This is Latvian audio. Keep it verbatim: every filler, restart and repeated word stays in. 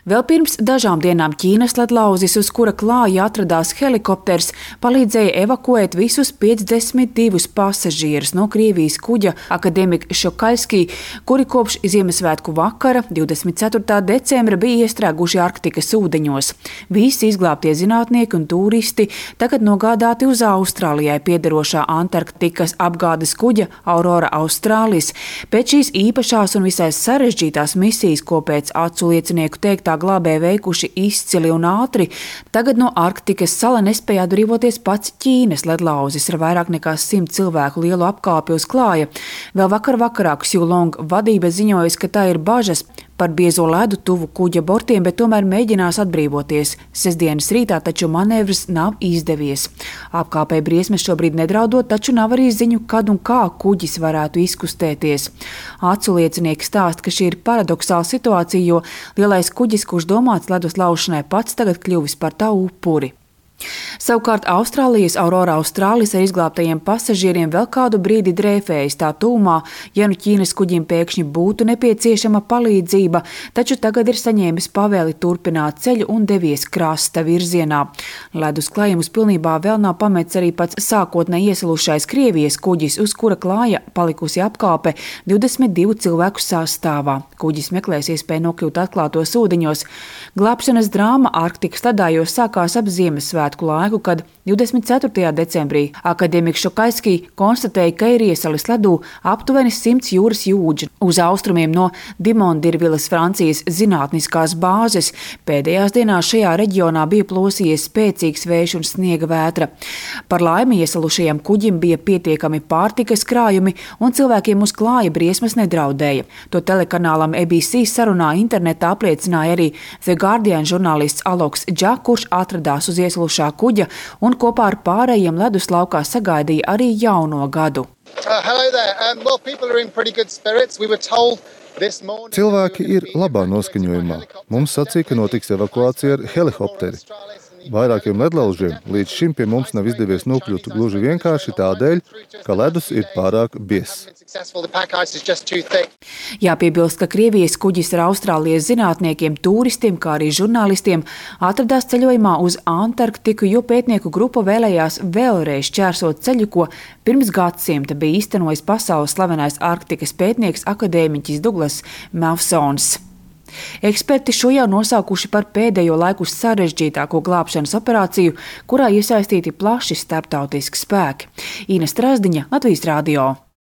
Vēl pirms dažām dienām Ķīnas ledlauzis, uz kura klāja atradās helikopters, palīdzēja evakuēt visus piecdesmit divus pasažierus no Krievijas kuģa Akademik Šokaļskij, kuri kopš Ziemassvētku vakara, divdesmit ceturtā decembra, bija iestrēguši Arktikas ūdeņos. Visi izglābtie zinātnieki un turisti tagad nogādāti uz Austrālijai piederošā Antarktikas apgādes kuģa Aurora Australis. Pēc šīs īpašās un visai sarežģītās misijas, ko pēc acu liecinieku teiktā glābēji veikuši izcili un ātri, tagad no Arktikas sala nespēja atbrīvoties pats Ķīnas ledlauzis ar vairāk nekā simt cilvēku lielu apkāpi uz klāja. Vēl vakar vakarā Ksjulong vadība ziņojas, ka tā ir bažas par biezo ledu tuvu kuģa bortiem, bet tomēr mēģinās atbrīvoties. Sestdienas rītā taču manevrs nav izdevies. Apkāpei briesmas šobrīd nedraudot, taču nav arī ziņu, kad un kā kuģis varētu izkustēties. Acu liecinieki stāsta, ka šī ir paradoxāla situācija, jo lielais kuģis, kurš domāts ledus laušanai, pats tagad kļuvis par tā upuri. Savukārt Austrālijas Aurora Australis ar izglābtajiem pasažieriem vēl kādu brīdi drēfējas tā tūmā, ja nu Ķīnas kuģim pēkšņi būtu nepieciešama palīdzība, taču tagad ir saņēmis pavēli turpināt ceļu un devies krasta virzienā. Ledus klājumus pilnībā vēl nav pametis arī pats sākotnēji iesalušais Krievijas kuģis, uz kura klāja palikusi apkāpe divdesmit divu cilvēku sastāvā. Kuģis meklēs iespēju nokļūt atklātos ūdeņos. Glābšanas drāma Arktikas ledājos sākās ap Ziemassvētku laiku, kad divdesmit ceturtajā decembrī Akademik Šokaļskij konstatēja, ka ir iesalis ledū aptuveni simts jūras jūdži uz austrumiem no Dimondirvilas Francijas zinātniskās bāzes. Pēdējās dienās šajā reģionā bija plosījies spēcīgs vējš un sniega vētra. Par laimi iesalušajam kuģim bija pietiekami pārtikas krājumi un cilvēkiem uz klāja briesmas nedraudēja. To telekanālam A B C sarunā internetā apliecināja arī The Guardian žurnālists Aloks Dža, kurš atradās uz iesalušā kuģa un kopā ar pārējiem ledus laukā sagaidīja arī jauno gadu. Cilvēki ir labā noskaņojumā. Mums sacīja, ka notiks evakuācija ar helikopteri. Vairākiem ledlaužiem līdz šim pie mums nav izdevies nokļūt gluži vienkārši tādēļ, ka ledus ir pārāk biezs. Jāpiebilst, ka Krievijas kuģis ar Austrālijas zinātniekiem, turistiem, kā arī žurnālistiem atradās ceļojumā uz Antarktiku, jo pētnieku grupa vēlējās vēlreiz šķērsot ceļu, ko pirms gadsimta bija īstenojis pasaules slavenais Arktikas pētnieks akadēmiķis Douglas Mawsons. Eksperti šo jau nosaukuši par pēdējo laiku sarežģītāko glābšanas operāciju, kurā iesaistīti plaši starptautiski spēki. Ina Strazdiņa, Latvijas radio.